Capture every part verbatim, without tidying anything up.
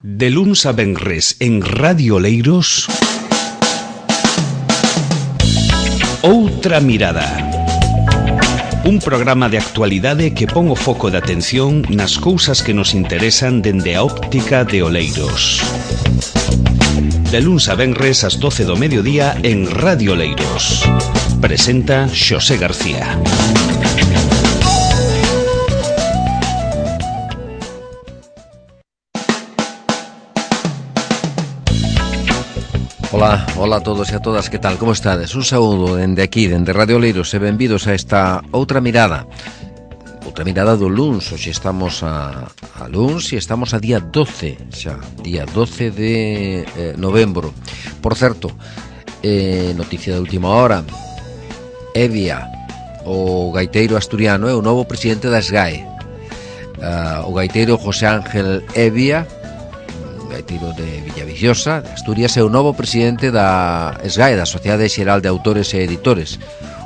De luns a venres en Radio Oleiros, Outra Mirada. Un programa de actualidade que pon o foco de atención nas cousas que nos interesan dende a óptica de Oleiros. De luns a venres ás doce do mediodía en Radio Oleiros. Presenta Xosé García. Ola, ola a todos e a todas, que tal, como estades? Un saúdo dende aquí, dende Radio Oleiros, e benvidos a esta Outra Mirada. Outra Mirada do luns, hoxe estamos a, a luns e estamos a día doce, xa, día doce de eh, novembro. Por certo, eh, noticia de última hora, Evia, o gaiteiro asturiano, é o novo presidente da S G A E. Uh, o gaiteiro José Ángel Evia, gaiteiro de Villaviciosa, de Asturias, é o novo presidente da S G A E, da Sociedade Xeral de Autores e Editores.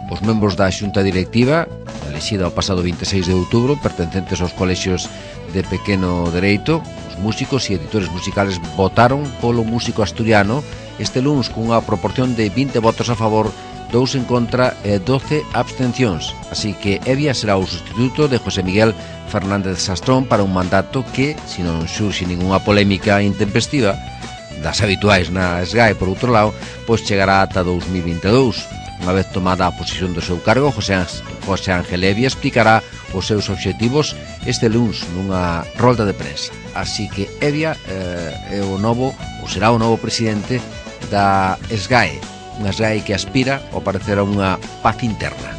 Os membros da xunta directiva, elexida o pasado vinte e seis de outubro, pertencentes aos colexios de pequeno dereito, os músicos e editores musicales votaron polo músico asturiano este luns cunha proporción de vinte votos a favor, dous en contra e doce abstencións. Así que Evia será o sustituto de José Miguel Fernández Sastrón para un mandato que, se non xurxe ningunha polémica intempestiva das habituais na S G A E, por outro lado, pois chegará ata dous mil vinte e dous. Unha vez tomada a posición do seu cargo, José, José Ángel Evia explicará os seus obxectivos este luns nunha rolda de prensa. Así que Evia eh, é o novo, ou será o novo presidente da S G A E, unha S G A E que aspira ao parecer a unha paz interna.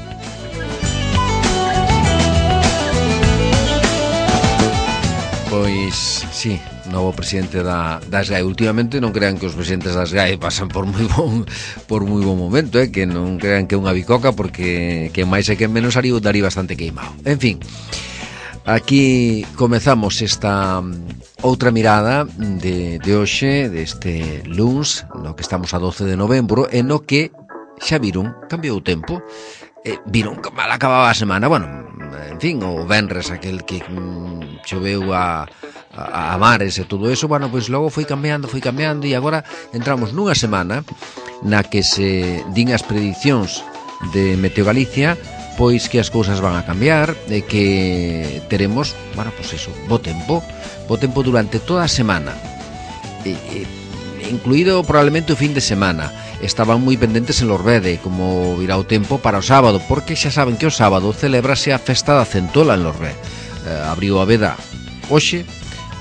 Pois, sí, novo presidente da, da S G A E. Últimamente non crean que os presidentes da S G A E pasan por moi bon por moi bon momento, eh? Que non crean que é unha bicoca, porque que máis e que menos daría, daría bastante queimado. En fin, aquí comezamos esta outra mirada de, de hoxe, deste luns, no que estamos a doce de novembro, e no que xa viron, cambiou o tempo, eh, viron que mal acababa a semana, bueno, en fin, o venres aquel que mm, choveu a, a, a mares e todo eso, bueno, pois logo foi cambiando, foi cambiando, e agora entramos nunha semana na que se din as predicións de Meteo Galicia, pois que as cousas van a cambiar, e que teremos, bueno, pois eso, bo tempo, bo tempo durante toda a semana, e, e, incluído probablemente o fin de semana. Estaban moi pendentes en Lorbede como virá o tempo para o sábado, porque xa saben que o sábado celébrase a festa da centola en Lorbede. Eh, abriu a veda hoxe,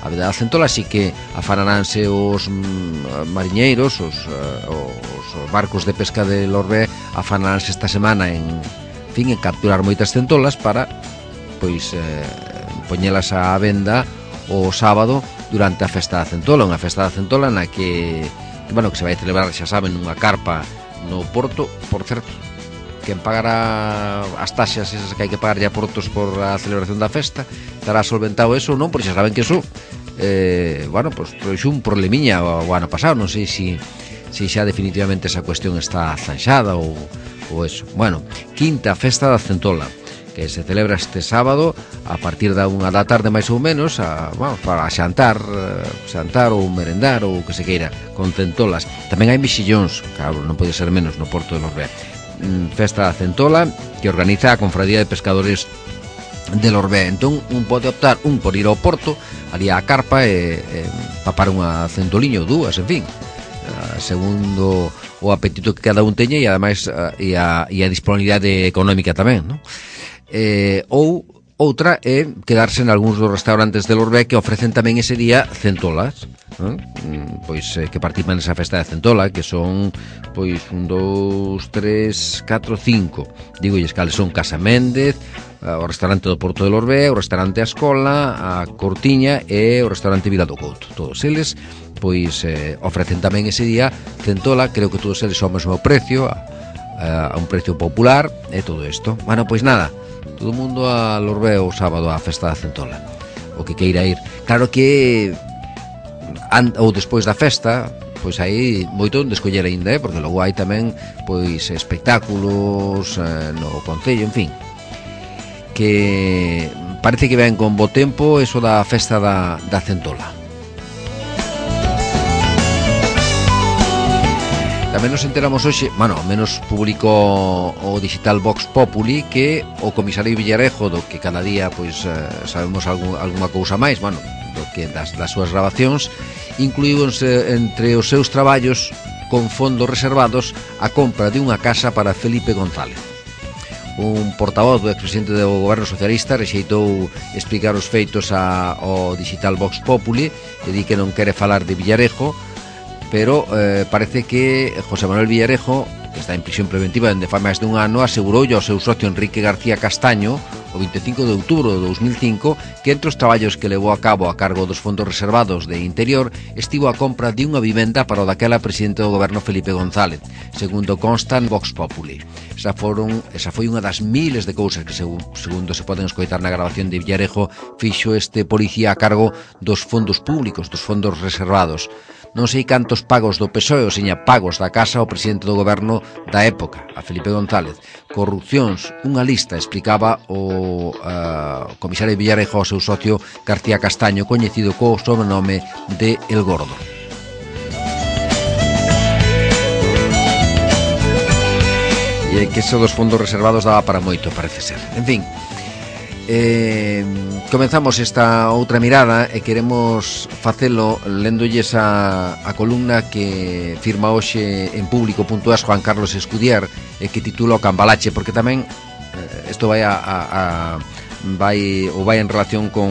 a veda da centola, así que afanaránse os mm, mariñeiros, os, uh, os barcos de pesca de Lorbede, afanaránse esta semana en, en fin, en capturar moitas centolas para pois eh, poñelas á venda o sábado durante a festa da centola, unha festa da centola na que bueno, que se vai celebrar, xa saben, nunha carpa no Porto. Por certo, quen pagará as taxas esas que hai que pagar a Portos por a celebración da festa, estará solventado eso ou non, porque xa saben que eso eh, bueno, pois pues, un problemiña o, o ano pasado, non sei se si, si xa definitivamente esa cuestión está zanxada ou, ou eso. Bueno, quinta festa da centola, que se celebra este sábado a partir da unha da tarde máis ou menos, a, bueno, para xantar, xantar ou merendar ou que se queira, con centolas. Tamén hai mexillóns, claro, non pode ser menos no Porto de Lorbede. Festa da centola que organiza a Confradía de Pescadores de Lorbede. Entón, un pode optar un por ir ao Porto, ali á carpa e, e papar unha centoliña ou dúas, en fin, segundo o apetito que cada un teña, e ademais e a, e a disponibilidade económica tamén, non? Eh, ou outra é quedarse en algúns dos restaurantes de Lorbede que ofrecen tamén ese día centolas, non? Pois eh, que participan nesa festa de centola, que son pois un, dous, tres, catro, cinco, digo, e cales son Casa Méndez, o restaurante do Porto de Lorbede, o restaurante A Escola, a Cortiña e o restaurante Vila do Couto. Todos eles pois eh, ofrecen tamén ese día centola, creo que todos eles son ao mesmo precio, a, a un precio popular e todo isto. Bueno, pois nada, todo o mundo a Lorbede o sábado á festa da centola, o que queira ir. Claro que an, ou despois da festa, pois hai moito onde escoller aínda, eh? Porque logo hai tamén pois espectáculos eh, no concello, en fin, que parece que ven con bo tempo eso da festa da, da centola. Tamén nos enteramos hoxe, bueno, ao menos publicou o digital Vox Populi, que o comisario Villarejo, do que cada día pois sabemos algún, alguna cousa máis, bueno, do que das, das súas grabacións, incluíronse entre os seus traballos con fondos reservados a compra de unha casa para Felipe González. Un portavoz do expresidente do goberno socialista rexeitou explicar os feitos a, ao digital Vox Populi e di que non quere falar de Villarejo, pero eh, parece que José Manuel Villarejo, que está en prisión preventiva dende fai máis dun ano, aseguroulle ao seu socio Enrique García Castaño o vinte e cinco de outubro de dos mil cinco que entre os traballos que levou a cabo a cargo dos fondos reservados de Interior estivo a compra de unha vivenda para o daquela presidente do goberno Felipe González, segundo consta en Vox Populi. Esa, foron, esa foi unha das miles de cousas que, segundo se poden escoitar na grabación de Villarejo, fixo este policía a cargo dos fondos públicos, dos fondos reservados. Non sei cantos pagos do P S O E, ou seña pagos da casa ao presidente do goberno da época, a Felipe González. Corrupcións, unha lista, explicaba o uh, comisario Villarejo ao seu socio García Castaño, coñecido co sobrenome de El Gordo. E que eso dos fondos reservados daba para moito, parece ser. En fin, eh, comenzamos esta outra mirada e queremos facelo lendolles a, a columna que firma hoxe en público punto es Juan Carlos Escudier e que titula O Cambalache, porque tamén isto vai a, a, a vai ou vai en relación con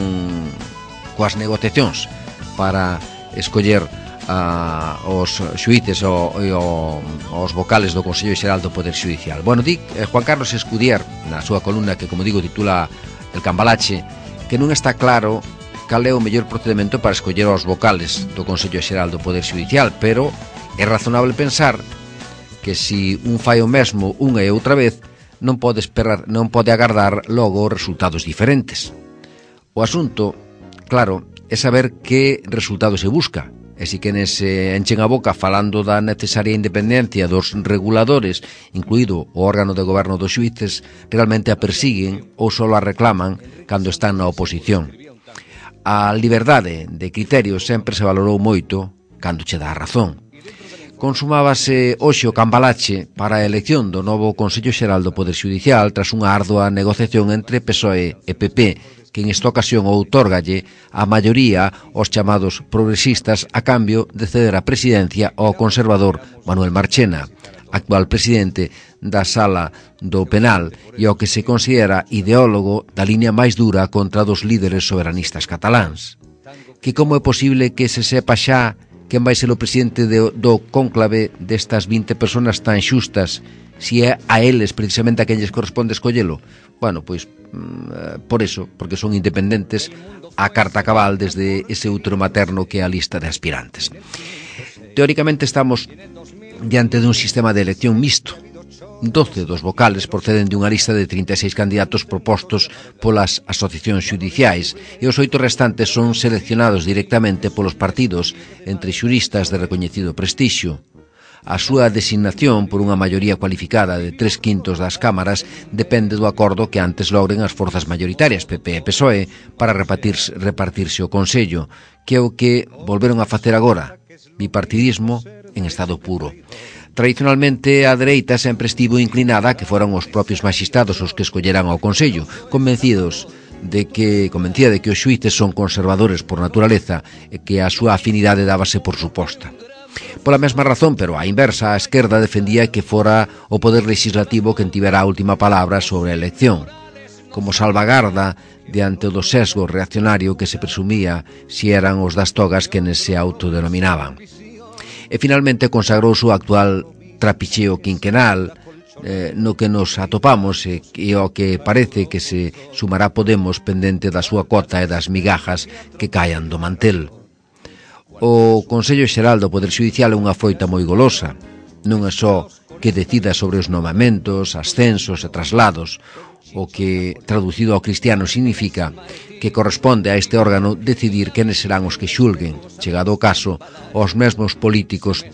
coas negociacións para escoller a, os xuíces o, o, os vocales do Consello Xeral do Poder Xudicial. Bueno, di eh, Juan Carlos Escudier na súa columna que, como digo, titula El Cambalache, que non está claro cal é o mellor procedimento para escoller os vocales do Consello Xeral do Poder Xudicial, pero é razonable pensar que si un fai o mesmo unha e outra vez non pode esperar, non pode agardar logo resultados diferentes. O asunto, claro, é saber que resultado se busca, e si quenes se enchen a boca falando da necesaria independencia dos reguladores, incluído o órgano de goberno dos xuíces, realmente a persiguen ou só a reclaman cando están na oposición. A liberdade de criterio sempre se valorou moito cando che dá a razón. Consumábase hoxe o cambalache para a elección do novo Consello Xeral do Poder Xudicial tras unha ardua negociación entre P S O E e P P, que en esta ocasión outórgalle a maioría aos chamados progresistas a cambio de ceder a presidencia ao conservador Manuel Marchena, actual presidente da Sala do Penal e ao que se considera ideólogo da liña máis dura contra dos líderes soberanistas cataláns. Que como é posible que se sepa xa quen vai ser o presidente de, do cónclave destas vinte personas tan xustas, si é a eles precisamente a quen lles corresponde escollelo? Bueno, pois por eso, porque son independentes a carta cabal desde ese útero materno que é a lista de aspirantes. Teóricamente estamos diante dun sistema de elección mixto. doce dos vocales proceden de unha lista de trinta e seis candidatos propostos polas asociacións xudiciais e os oito restantes son seleccionados directamente polos partidos entre xuristas de recoñecido prestixio. A súa designación por unha maioría cualificada de tres quintos das cámaras depende do acordo que antes logren as forzas maioritarias P P e P S O E para repartirse, repartirse o Consello, que é o que volveron a facer agora, bipartidismo en estado puro. Tradicionalmente, a dereita sempre estivo inclinada a que foran os propios maxistrados os que escolleran ao Consello, convencidos de que, convencida de que os xuíces son conservadores por naturaleza e que a súa afinidade dábase por suposta. Pola mesma razón, pero á inversa, a esquerda defendía que fora o poder legislativo quen tivera a última palabra sobre a elección, como salvagarda diante do sesgo reaccionario que se presumía si eran os das togas quenes se autodenominaban. E finalmente consagrouse o actual trapicheo quinquenal eh, no que nos atopamos e, e o que parece que se sumará Podemos pendente da súa cota e das migajas que caian do mantel. O Consello Xeral do Poder Xudicial é unha foita moi golosa. Non é só que decida sobre os nomamentos, ascensos e traslados, o que, traducido ao cristiano, significa que corresponde a este órgano decidir quenes serán os que xulguen, chegado o caso, aos mesmos políticos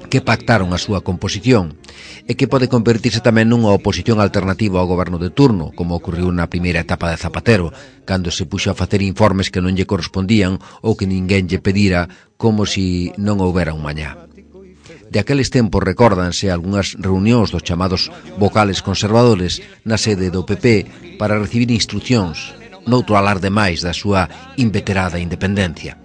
que pactaron a súa composición, e que pode convertirse tamén nunha oposición alternativa ao goberno de turno, como ocorreu na primeira etapa de Zapatero, cando se puxo a facer informes que non lle correspondían ou que ninguén lle pedira, como si non houbera un mañá. De aqueles tempos recórdanse algunhas reunións dos chamados vocales conservadores na sede do P P para recibir instruccións, noutro alarde máis da súa inveterada independencia.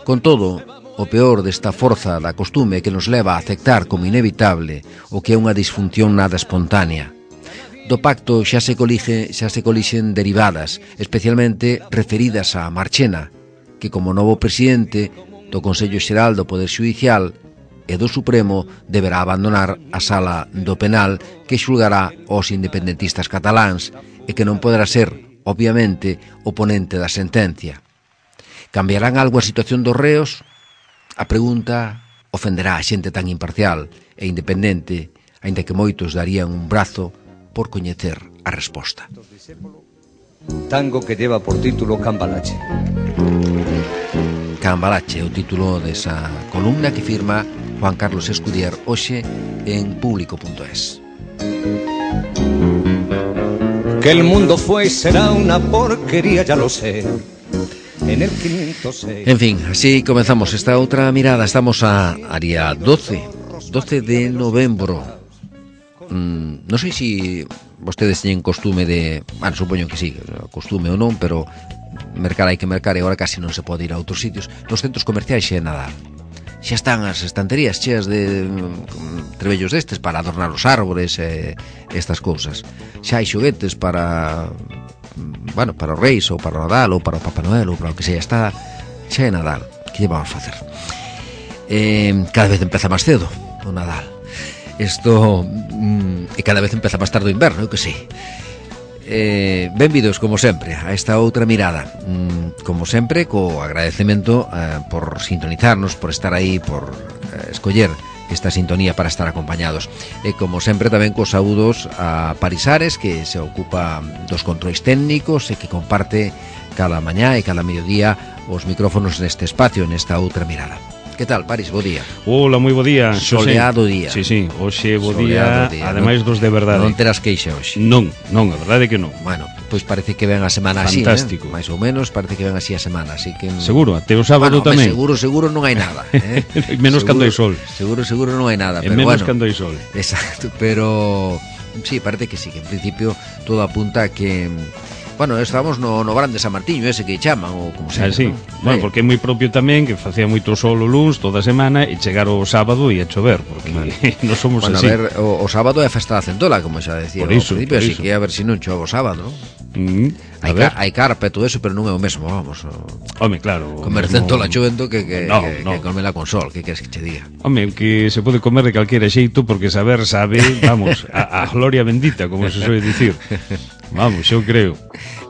Con todo, o peor desta forza da costume que nos leva a aceptar como inevitable o que é unha disfunción nada espontánea. Do pacto xa se colige, xa se colixen derivadas, especialmente referidas a Marchena, que como novo presidente do Consello Xeral do Poder Xudicial e do Supremo deberá abandonar a sala do penal que xulgará aos independentistas cataláns e que non poderá ser, obviamente, o ponente da sentencia. Cambiarán algo a situación dos reos? A pregunta ofenderá a xente tan imparcial e independente, aínda que moitos darían un brazo por coñecer a resposta. Tango que lleva por título Cambalache. Cambalache é o título desa columna que firma Juan Carlos Escudier hoxe en público punto es. Que el mundo fue y será una porquería, ya lo sé. En el quinientos seis. En fin, así comenzamos esta outra mirada. Estamos a, a día doce de novembro. Mm, non sei se vostedes teñen costume de... Bueno, supoño que sí, costume ou non, pero mercar hai que mercar e agora casi non se pode ir a outros sitios. Nos centros comerciais xa é Nadal. Xa están as estanterías cheas de mm, trebellos destes para adornar os árbores e estas cousas. Xa hai xoguetes para... Bueno, para os Reis ou para o Nadal ou para o Papá Noel ou para o que sea. Está, xa é Nadal. Que lle vamos a facer? Eh, cada vez empeza máis cedo o Nadal. Isto mm, e cada vez empeza máis tarde o inverno, eu que sei. Eh, benvidos, como sempre, a esta outra mirada. Mm, como sempre, co agradecemento eh, por sintonizarnos, por estar aí, por eh, escoller esta sintonía para estar acompañados. E como sempre tamén cos saúdos a Parisares, que se ocupa dos controis técnicos e que comparte cada mañá e cada mediodía os micrófonos neste espacio, nesta outra mirada. Que tal, Paris? Bo día. Hola, moi bo día. Soleado día. Sí, sí, hoxe bo día, día, ademais dos de verdade. Non terás queixa hoxe. Non, non, a verdade é que non. Bueno, pois parece que ven a semana fantástico. Así, eh? Mais ou menos parece que ven así a semana, así que seguro, até o sábado bueno, tamén. Seguro, seguro non hai nada, eh? Menos seguro, cando hai sol. Seguro, seguro non hai nada, pero menos bueno. cando hai sol. Exacto, pero sí, parece que sí, que en principio todo apunta a que bueno, estamos no, no Grande San Martiño, ese que chaman, ou como se ah, sí. ¿no? Bueno, porque é moi propio tamén que facía moito sol o luns toda a semana e chegar o sábado e a chover, porque vale. Non somos bueno, así. A ver, o, o sábado é a festa da centola, como xa decía por iso, ao principio, así iso. que a ver se si non chove o sábado, non? Mm, hai, ca, hai carpa e todo eso, pero non é o mesmo, vamos. O... Home, claro. Comer mesmo... centola chovendo que, que, no, que, no. que comela con sol, que queres que che diga? Home, que se pode comer de calquera xeito, porque saber sabe, vamos, a, a gloria bendita, como se soe dicir. Vamos, eu creo.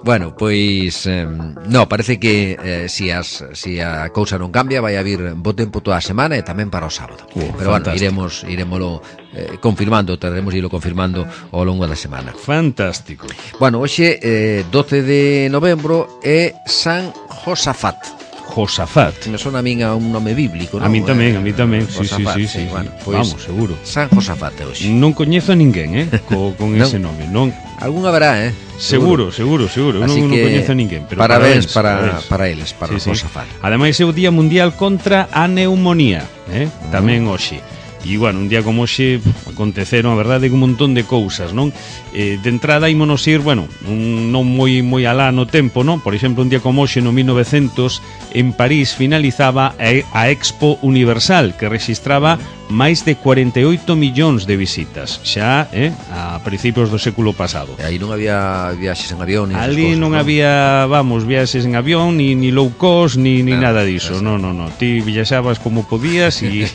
Bueno, pois eh, no, parece que eh, si, as, si a cousa non cambia vai haber bo tempo toda a semana e tamén para o sábado. Uh, Pero fantástico. bueno, iremos iremoslo eh, confirmando, teremos irlo confirmando ao longo da semana. Fantástico. Bueno, hoxe eh, doce de novembro é San Josafat. Josafat. Me sona a min a un nome bíblico, non? A mí tamén, a mí tamén. Eh, sí, sí, sí, sí, sí. Bueno, pois, vamos, seguro. San Josafat é hoxe. Non coñezo a ninguén, eh, co, con non. ese nome, non. Algún haberá, eh? Seguro, seguro, seguro. Así non, que, non coñezo a ninguén, pero parabéns, parabéns para, parabéns. para eles, para sí, o Josafat. Sí. Ademais é o Día Mundial contra a Neumonía, eh? Uh-huh. Tamén hoxe. E, bueno, un día como hoxe aconteceron, a verdade, un montón de cousas, non? Eh, de entrada, ímonos ir, bueno, un, non moi moi alá no tempo, non? Por exemplo, un día como hoxe, no mil e novecentos, en París finalizaba a, a Expo Universal, que rexistraba máis de cuarenta e oito millóns de visitas, xa, eh, a principios do século pasado. E aí non había viaxes en avión, ni ali cosas, non, non había, vamos, viaxes en avión, ni, ni low cost, ni, ni no, nada diso. Non, non, non. Ti viaxabas como podías e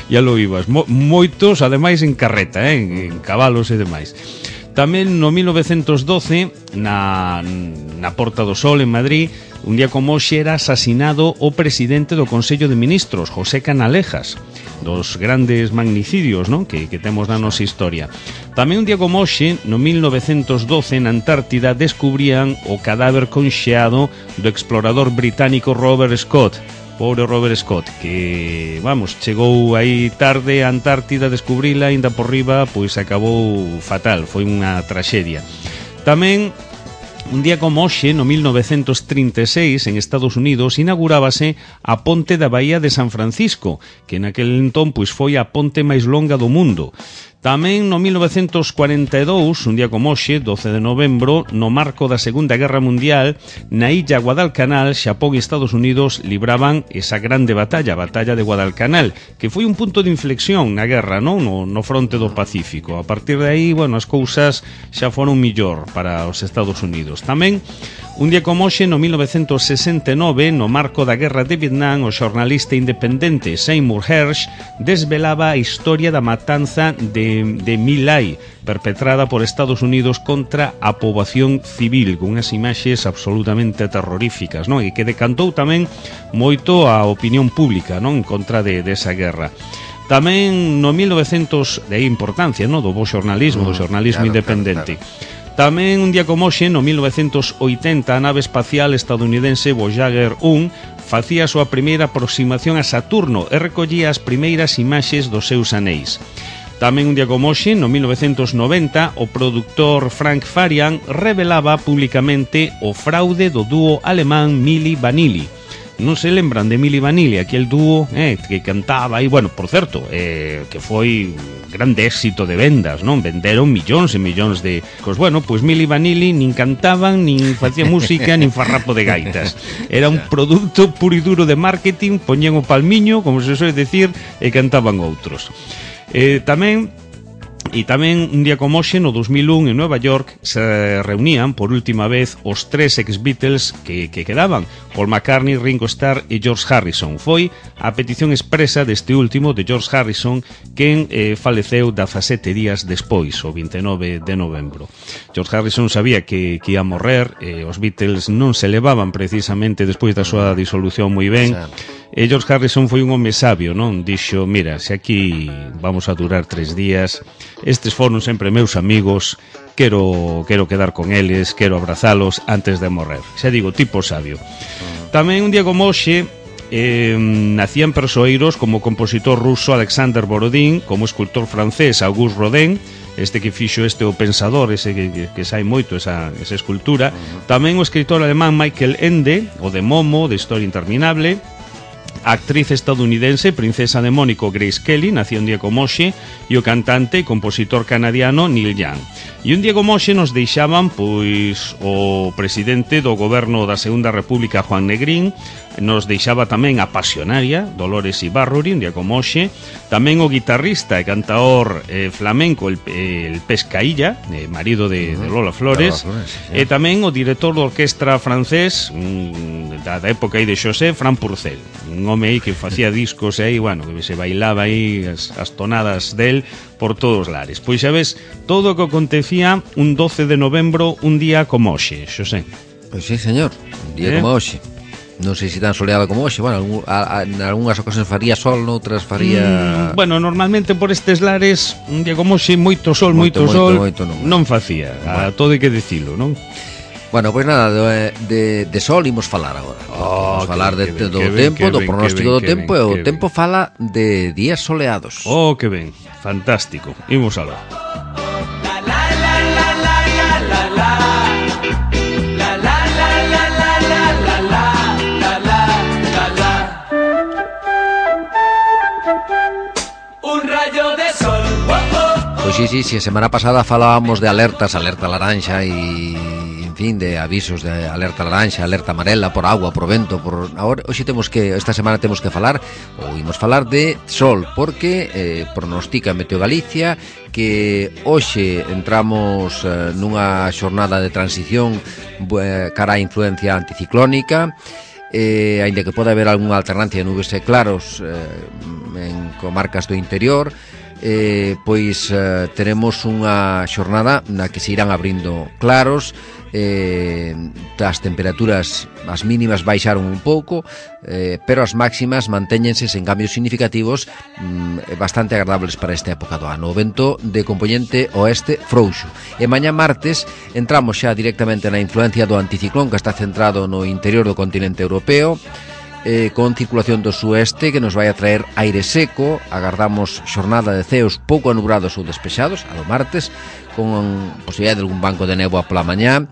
ya lo ibas. Mo, moitos, ademais, en carreta, eh, en, en cabalos e demais. Tamén no mil novecentos doce, na, na Porta do Sol, en Madrid, un día como hoxe era asasinado o presidente do Consello de Ministros, José Canalejas, dos grandes magnicidios, non? Que, que temos na nosa historia. Tamén un día como hoxe, no mil novecentos doce, na Antártida, descubrían o cadáver conxeado do explorador británico Robert Scott. Pobre Robert Scott, que, vamos, chegou aí tarde a Antártida, descubrila, ainda por riba, pois acabou fatal, foi unha traxedia. Tamén Un día como hoxe, no mil novecentos trinta e seis, en Estados Unidos, inaugurábase a ponte da Baía de San Francisco, que naquel entón pois foi a ponte máis longa do mundo. Tamén no mil novecentos cuarenta e dous, un día como hoxe, doce de novembro, no marco da Segunda Guerra Mundial, na illa Guadalcanal, Xapón e Estados Unidos libraban esa grande batalla, a batalla de Guadalcanal, que foi un punto de inflexión na guerra, non? No, no fronte do Pacífico. A partir de aí, bueno, as cousas xa foron millor para os Estados Unidos. Tamén, un día como hoxe, no mil novecentos sesenta e nove, no marco da Guerra de Vietnam, o xornalista independente Seymour Hersh desvelaba a historia da matanza de de My Lai, perpetrada por Estados Unidos contra a poboación civil, con unhas imaxes absolutamente terroríficas, non? E que decantou tamén moito a opinión pública, non? En contra de, de esa guerra. Tamén no mil novecentos, de aí importancia, non? Do bo xornalismo, do xornalismo claro, independente. Claro, claro. Tamén un día como hoxe, no mil novecentos oitenta, a nave espacial estadounidense Voyager un facía a súa primeira aproximación a Saturno e recollía as primeiras imaxes dos seus anéis. Tamén un día como hoxe, no mil novecentos noventa, o produtor Frank Farian revelaba públicamente o fraude do dúo alemán Milli Vanilli. Non se lembran de Milli Vanilli, aquel dúo eh, que cantaba, e, bueno, por certo, eh, que foi grande éxito de vendas, non? Venderon millóns e millóns de... Pois, bueno, pois Milli Vanilli nin cantaban, nin facía música, nin farrapo de gaitas. Era un produto puro e duro de marketing, poñían o palmiño, como se soe decir, e cantaban outros. Eh, tamén e tamén un día como hoxe, no dos mil un, en Nueva York, se reunían por última vez os tres ex-Beatles que, que quedaban, Paul McCartney, Ringo Starr e George Harrison. Foi a petición expresa deste último, de George Harrison, quen eh, faleceu dezasete días despois, o vinte e nove de novembro. George Harrison sabía que, que ia morrer, eh, os Beatles non se levaban precisamente despois da súa disolución moi ben. E George Harrison foi un home sabio, non? Dixo, mira, se aquí vamos a durar tres días, estes foron sempre meus amigos, quero, quero quedar con eles, quero abrazalos antes de morrer. Xa digo, tipo sabio. Tamén un día como hoxe, eh, nacían persoeiros como o compositor ruso Alexander Borodín, como o escultor francés Auguste Rodin, este que fixo este o pensador, ese que, que, que sai moito esa, esa escultura. Tamén o escritor alemán Michael Ende, o de Momo, de Historia Interminable. A actriz estadounidense, princesa de Mónaco, Grace Kelly, nació un día como hoxe, e o cantante e compositor canadiano Neil Young. E un día como hoxe nos deixaban pois o presidente do goberno da Segunda República, Juan Negrín, nos deixaba tamén a pasionaria Dolores Ibarruri, un día como hoxe, tamén o guitarrista e cantaor eh, flamenco el, el Pescailla, eh, marido de, de Lola Flores, Lola Flores sí. E tamén o director da orquestra francés mm, da, da época aí de José, Fran Purcell, un home aí que facía discos aí, bueno, que se bailaba aí as, as tonadas del por todos os lares. Pois xa ves, todo o que acontecía un doce de novembro, un día como hoxe, Xosé. Pois sí, señor, un día eh? como hoxe. Non sei se tan soleado como hoxe. Bueno, algún, a, a, en algunhas ocasións faría sol, noutras faría... Mm, bueno, normalmente por estes lares un día como hoxe, moito sol, moito, moito sol moito, moito, non. non facía, bueno. A todo hai que dicilo, non? Bueno, pois pues nada, de, de, de sol imos falar agora. Oh, imos falar de, ben, do ben, tempo, do pronóstico do tempo, e o ben. tempo fala de días soleados. Oh, que ben, fantástico. Imos alá. Pois sí, sí, sí, a semana pasada falábamos de alertas, alerta laranxa e, en fin, de avisos de alerta laranxa, alerta amarela por agua, por vento, por... Ahora, hoxe temos que, esta semana temos que falar, ou imos falar de sol, porque eh, pronostica Meteo Galicia que hoxe entramos eh, nunha xornada de transición eh, cara á influencia anticiclónica, eh, aínda que pode haber algunha alternancia de nubes e claros eh, en comarcas do interior, eh, pois eh, teremos unha xornada na que se irán abrindo claros, eh, as temperaturas, as mínimas baixaron un pouco, eh, pero as máximas mantéñense sen cambios significativos, mm, bastante agradables para esta época do ano. O vento de componente oeste frouxo. E mañá martes entramos xa directamente na influencia do anticiclón que está centrado no interior do continente europeo, Eh, con circulación do sueste que nos vai a traer aire seco. Agardamos xornada de ceos pouco anubrados ou despexados a do martes, con posibilidade de algún banco de néboa pola mañá,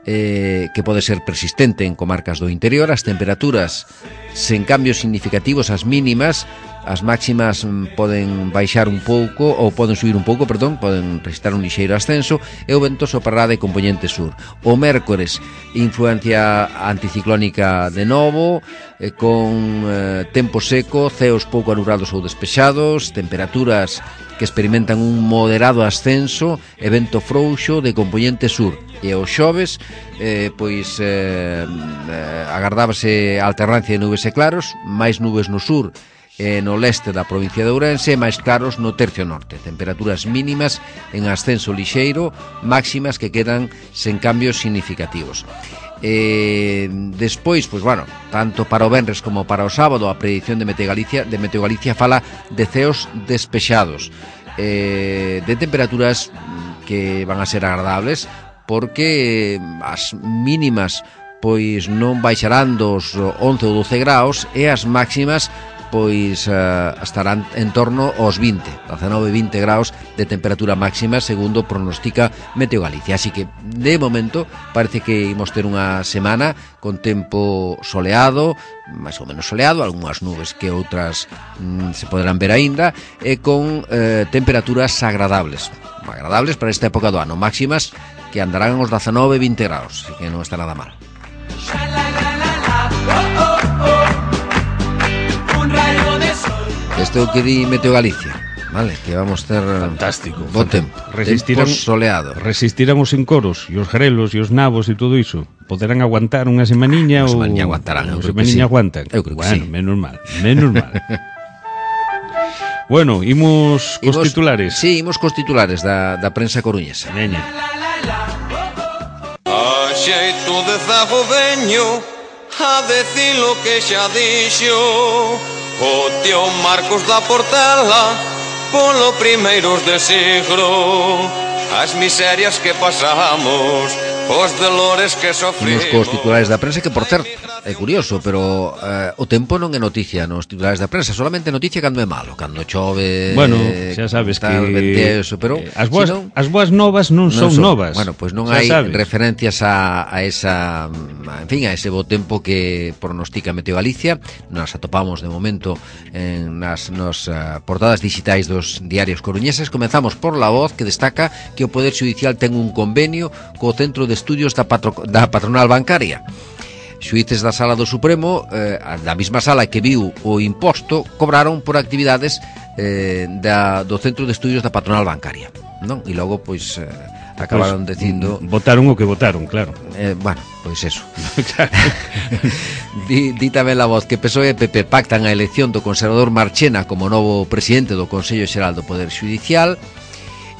eh, que pode ser persistente en comarcas do interior. As temperaturas sen cambios significativos, as mínimas, as máximas poden baixar un pouco ou poden subir un pouco, perdón, poden registrar un lixeiro ascenso, e o vento soprará de componente sur. O mércores, influencia anticiclónica de novo, eh, con eh, tempo seco, ceos pouco anurados ou despexados, temperaturas que experimentan un moderado ascenso e vento frouxo de componente sur. E o xoves, eh, pois eh, eh, agardábase a alternancia de nubes e claros, máis nubes no sur e no leste da provincia de Ourense, máis claros no tercio norte. Temperaturas mínimas en ascenso lixeiro, máximas que quedan sen cambios significativos. Eh, despois, pois bueno, tanto para o venres como para o sábado, a predicción de Meteo Galicia, de Meteo Galicia fala de ceos despexados, eh, de temperaturas que van a ser agradables, porque as mínimas pois non baixarán dos once ou doce graus e as máximas pois uh, estarán en torno aos vinte, dezanove a vinte graus de temperatura máxima, segundo pronostica Meteo Galicia. Así que, de momento, parece que imos ter unha semana con tempo soleado, máis ou menos soleado, algunhas nubes que outras mm, se poderán ver aínda, e con eh, temperaturas agradables, agradables para esta época do ano, máximas que andarán os dezanove a vinte graus, así que non está nada mal. Este é o que di Meteo Galicia, vale, que vamos ter fantástico, bo tempo, resistirán, tempo soleado. Resistirán os encoros e os grelos e os nabos e todo iso. Poderán aguantar unha semaniña ou... Unha semaniña aguantarán, Unha semaniña aguantan. Eu creo que bueno, sí. menos mal, menos mal. Bueno, imos cos imos, titulares. Sí, imos cos titulares da, da prensa coruñesa. Veña. A xeito de zago veño a decir lo que xa dixo o tío Marcos da Portela polo primeiros de siglo, as miserias que pasamos, os dolores que sofrimos. Imos cos titulares da prensa, que por certo é curioso, pero eh, o tempo non é noticia nos titulares da prensa, solamente noticia cando é malo, cando chove. Bueno, xa sabes tal, que eso, pero eh, as boas non, as boas novas non, non son, son novas. Bueno, pois pues non xa hai sabes. referencias a, a esa, en fin, a ese bo tempo que pronostica Meteo Galicia. Nos atopamos de momento en nas nos uh, portadas digitais dos diarios coruñeses. Comenzamos por La Voz, que destaca que o Poder Xudicial ten un convenio co Centro de Estudios da, patro, da Patronal Bancaria. Xuíces da Sala do Supremo, eh, da mesma sala que viu o imposto, cobraron por actividades eh, da, do Centro de Estudios da Patronal Bancaria, non? E logo, pois, eh, acabaron pues, dicindo... Votaron o que votaron, claro. Eh, bueno, pois eso. di, di tamén La Voz que P S O E e P P pactan a elección do conservador Marchena como novo presidente do Consello Xeral do Poder Xudicial.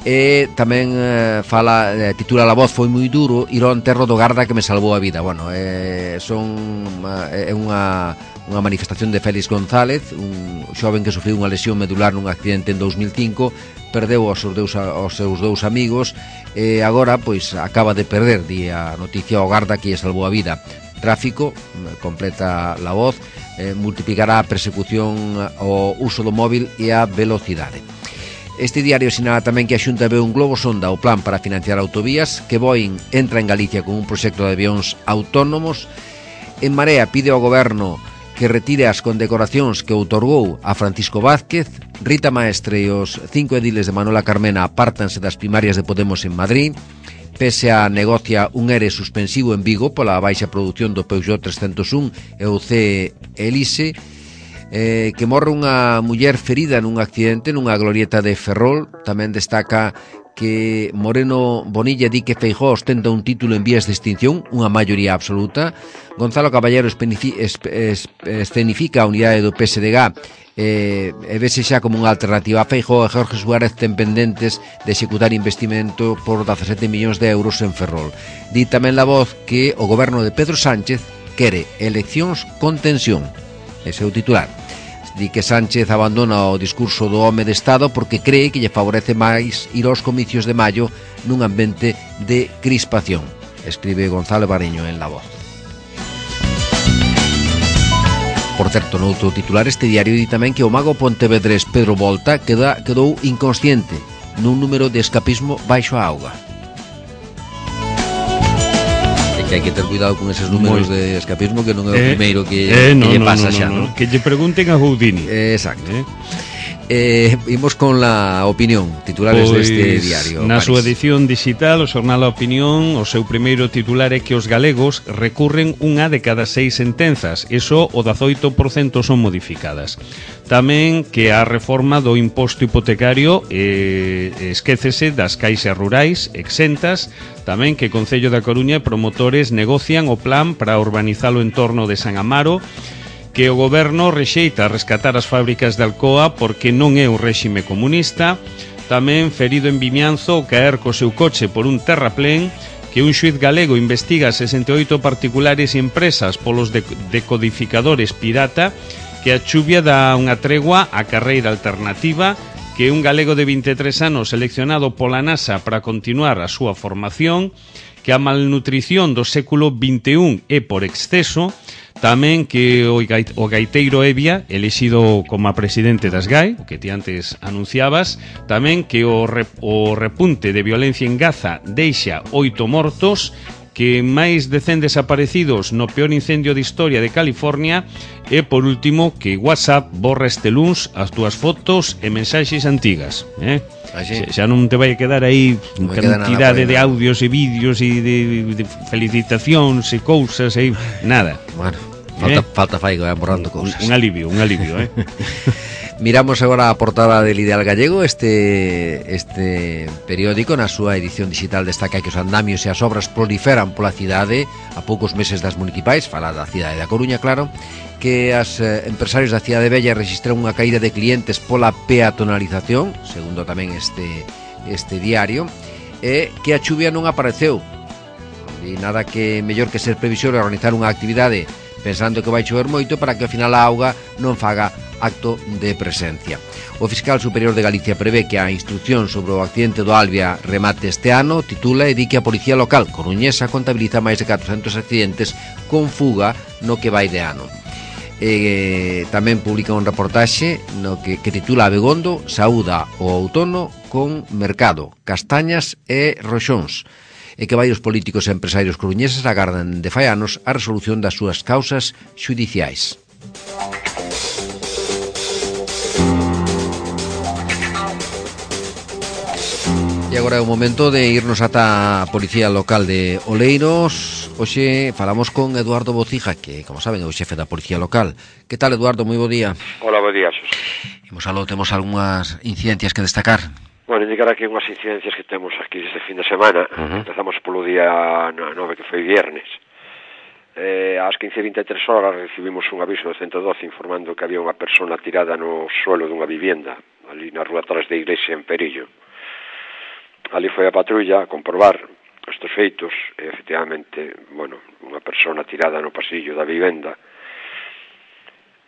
E tamén eh, fala, eh, titula La Voz, foi moi duro ir ao enterro do garda que me salvou a vida. Bueno, eh, son é eh, unha unha manifestación de Félix González, un xoven que sufriu unha lesión medular nun accidente en dous mil cinco, perdeu aos seus dous, aos seus dous amigos e agora pois acaba de perder, di a noticia, o garda que lle salvou a vida. Tráfico, completa La Voz, eh, multiplicará a persecución ao uso do móvil e a velocidade. Este diario sinala tamén que a Xunta ve un globo sonda o plan para financiar autovías, que Boeing entra en Galicia con un proxecto de avións autónomos. En Marea pide ao goberno que retire as condecoracións que outorgou a Francisco Vázquez. Rita Maestre e os cinco ediles de Manuela Carmena apártanse das primarias de Podemos en Madrid. P S A negocia un E R E suspensivo en Vigo pola baixa produción do Peugeot trescentos un e o C Elise. Eh, que morre unha muller ferida nun accidente nunha glorieta de Ferrol. Tamén destaca que Moreno Bonilla di que Feijóo ostenta un título en vías de extinción, unha maioría absoluta. Gonzalo Caballero escenifica a unidade do P S D G eh, e vese xa como unha alternativa a Feijóo. E Jorge Suárez ten pendentes de executar investimento por dezasete millóns de euros en Ferrol. Di tamén La Voz que o goberno de Pedro Sánchez quere eleccións con tensión. Ese é o titular. Di que Sánchez abandona o discurso do home de Estado porque cree que lle favorece máis ir aos comicios de maio nun ambiente de crispación. Escribe Gonzalo Bariño en La Voz. Por certo, noutro titular, este diario di tamén que o mago pontevedrés Pedro Volta queda, quedou inconsciente nun número de escapismo baixo a auga. que hai que ter cuidado con eses números Moi. de escapismo, que non é o Eh, primeiro que, eh, que no, lle no, pasa no, xa, no, non? no. Que lle pregunten a Houdini. Eh, exacto. Eh? Eh, imos con la opinión, titulares Pois, deste diario. na París. súa edición digital, o xornal A Opinión, o seu primeiro titular é que os galegos recurren unha de cada seis sentenzas, e só o dezoito por cento son modificadas. Tamén que a reforma do imposto hipotecario eh, esquécese das caixas rurais exentas, tamén que Concello da Coruña e promotores negocian o plan para urbanizar o entorno de San Amaro, que o goberno rexeita rescatar as fábricas de Alcoa porque non é un réxime comunista, tamén ferido en Vimianzo o caer co seu coche por un terraplén, que un xuiz galego investiga sesenta e oito particulares e empresas polos decodificadores pirata, que a chuvia dá unha tregua á carreira alternativa, que un galego de vinte e tres anos seleccionado pola NASA para continuar a súa formación, que a malnutrición do século vinte e un é por exceso, tamén que o gaiteiro Evia, elexido como a presidente das G A E, o que ti antes anunciabas, tamén que o, rep, o repunte de violencia en Gaza deixa oito mortos, que máis de cen desaparecidos no peor incendio de historia de California, e por último que WhatsApp borra este luns as túas fotos e mensaxes antigas, eh? Así. Xa non te vai a quedar aí Non me queda nada cantidade por aí, de nada. audios e vídeos e de, de felicitacións e cousas e nada. Bueno, falta, Eh? falta fai que vai borrando Un, cousas. un alivio, un alivio, eh? Miramos agora a portada del Ideal Gallego. Este este periódico na súa edición digital destaca que os andamios e as obras proliferan pola cidade a poucos meses das municipais, fala da cidade da Coruña, claro, que as eh, empresarios da cidade bella registran unha caída de clientes pola peatonalización, segundo tamén este este diario, e que a chuvia non apareceu. E nada que mellor que ser previsor e organizar unha actividade pensando que vai chover moito para que ao final a auga non faga acto de presencia. O fiscal superior de Galicia prevé que a instrucción sobre o accidente do Albia remate este ano, titula e di que a Policía Local coruñesa contabiliza máis de catrocentos accidentes con fuga no que vai de ano. E, tamén publica un reportaxe no que, que titula Abegondo saúda o outono con mercado, castañas e roxóns, e que varios políticos e empresarios coruñeses agardan de fai anos a resolución das súas causas xudiciais. E agora é o momento de irnos ata a Policía Local de Oleiros. Hoxe falamos con Eduardo Bocija, que, como saben, é o xefe da Policía Local. Que tal, Eduardo? Moi bo día. Hola, bo día, Xos. Imos aló, temos algunhas incidencias que destacar. Bueno, indicar aquí unhas incidencias que temos aquí este fin de semana. Uh-huh. Empezamos polo día nove, que foi viernes. Eh, ás quince e vinte e tres horas recibimos un aviso do ciento doce informando que había unha persona tirada no suelo dunha vivienda, ali na rúa atrás da iglesia en Perillo. Ali foi a patrulla a comprobar estes feitos e, efectivamente, bueno, unha persona tirada no pasillo da vivenda.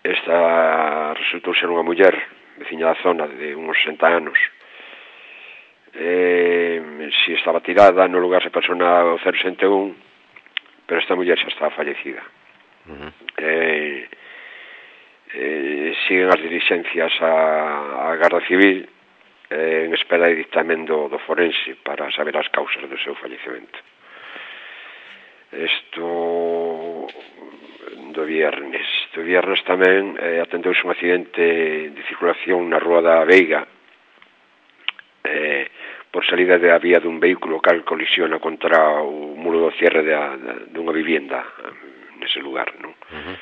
Esta resultou ser unha muller veciña da zona de uns sesenta anos. Eh, si estaba tirada no lugar se persona o cero sesenta e un, pero esta muller xa estaba fallecida. Uh-huh. Eh, eh, siguen as diligencias a, a Garda Civil eh, en espera de dictamen do, do forense para saber as causas do seu fallecemento. Isto do viernes. Do viernes tamén eh, atendeuse un accidente de circulación na Rúa da Veiga, eh, por salida da vía dun vehículo cal colisiona contra o muro do cierre de dunha vivienda nese lugar, non? Uh-huh.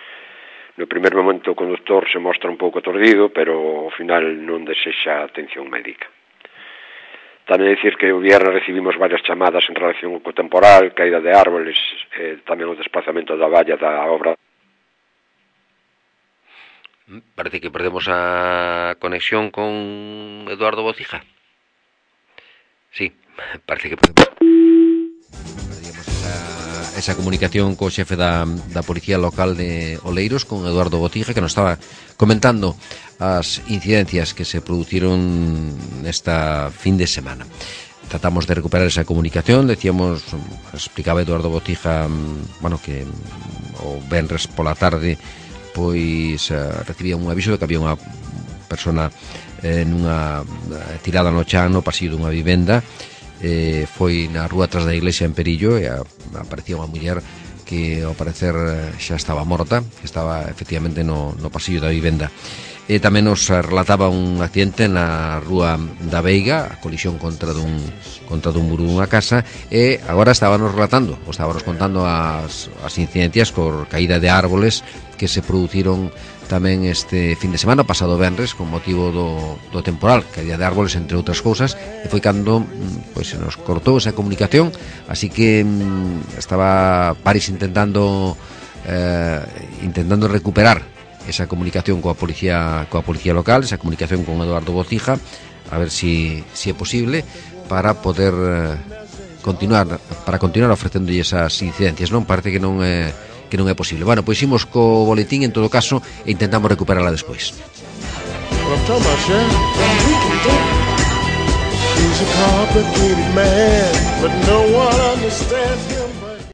No primer momento o conductor se mostra un pouco aturdido, pero ao final non desexa atención médica. Tamén dicir que o viernes recibimos varias chamadas en relación co temporal, caída de árboles, eh, tamén o desplazamento da valla da obra. Parece que perdemos a conexión con Eduardo Bocija. Sí, parece que perdemos. Perdíamos esa, esa comunicación co xefe da, da Policía Local de Oleiros, con Eduardo Bocija, que nos estaba comentando as incidencias que se produciron nesta fin de semana. Tratamos de recuperar esa comunicación, decíamos, explicaba Eduardo Bocija, bueno, que o venres pola tarde pois uh, recibía un aviso de que había unha persona eh, nunha tirada no chan no pasillo dunha vivenda, eh, foi na rúa tras da iglesia en Perillo e a, aparecía unha muller que ao parecer xa estaba morta, que estaba efectivamente no, no pasillo da vivenda. E tamén nos relataba un accidente na rúa da Veiga, a colisión contra dun, contra dun muro dunha casa, e agora estábamos relatando, ou estábamos contando as, as incidencias por caída de árboles que se produciron tamén este fin de semana, pasado venres, con motivo do, do temporal, caída de árboles, entre outras cousas, e foi cando pois, se nos cortou esa comunicación, así que estaba Paris intentando eh, intentando recuperar esa comunicación coa policía coa policía local, esa comunicación con Eduardo Bocija, a ver si, si é posible para poder eh, continuar para continuar ofrecendo esas incidencias, non? Parece que non é que non é posible. Bueno, pois imos co boletín en todo caso e intentamos recuperarla despois. What I'm talking about, Chef? We can do it. He's a complicated man, but no one understands him.